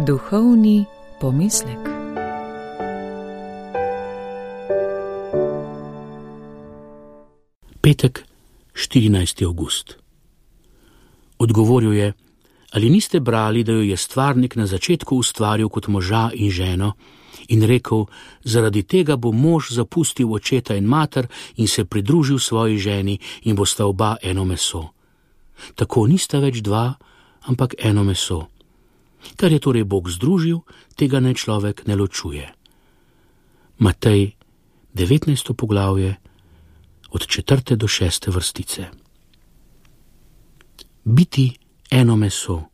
Duhovni pomislek. Petek, 14. avgust. Odgovoril je: ali niste brali, da jo je stvarnik na začetku ustvaril kot moža in ženo in rekel: zaradi tega bo mož zapustil očeta in mater in se pridružil svoji ženi in bosta oba eno meso. Tako nista več dva, ampak eno meso. Kar je torej Bog združil, tega naj človek ne ločuje. Matej, 19. poglavje, od 4. do 6. vrstice. Biti eno meso,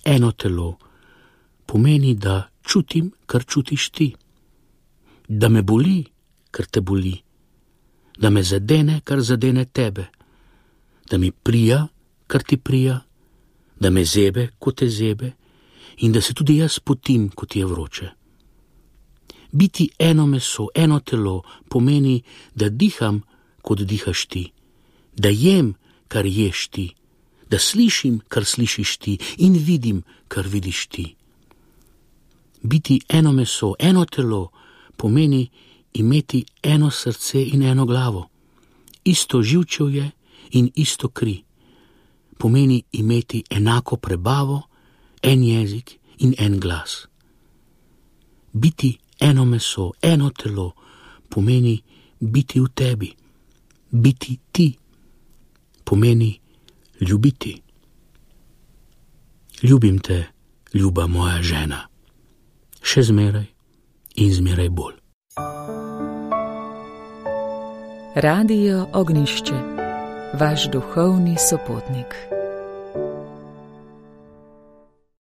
eno telo, pomeni, da čutim, kar čutiš ti, da me boli, kar te boli, da me zadene, kar zadene tebe, da mi prija, kar ti prija, da me zebe, ko te zebe, in da se tudi jaz potim, ko ti je vroče. Biti eno meso, eno telo, pomeni, da diham, kot dihaš ti, da jem, kar ješ ti, da slišim, kar slišiš ti, in vidim, kar vidiš ti. Biti eno meso, eno telo, pomeni imeti eno srce in eno glavo, isto živčevje in isto kri. Pomeni imeti enako prebavo, en jezik in en glas. Biti eno meso, eno telo, pomeni biti v tebi. Biti ti pomeni ljubiti. Ljubim te, ljuba moja žena, še zmeraj in zmeraj bolj. Radio Ognjišče, vaš duhovni sopotnik.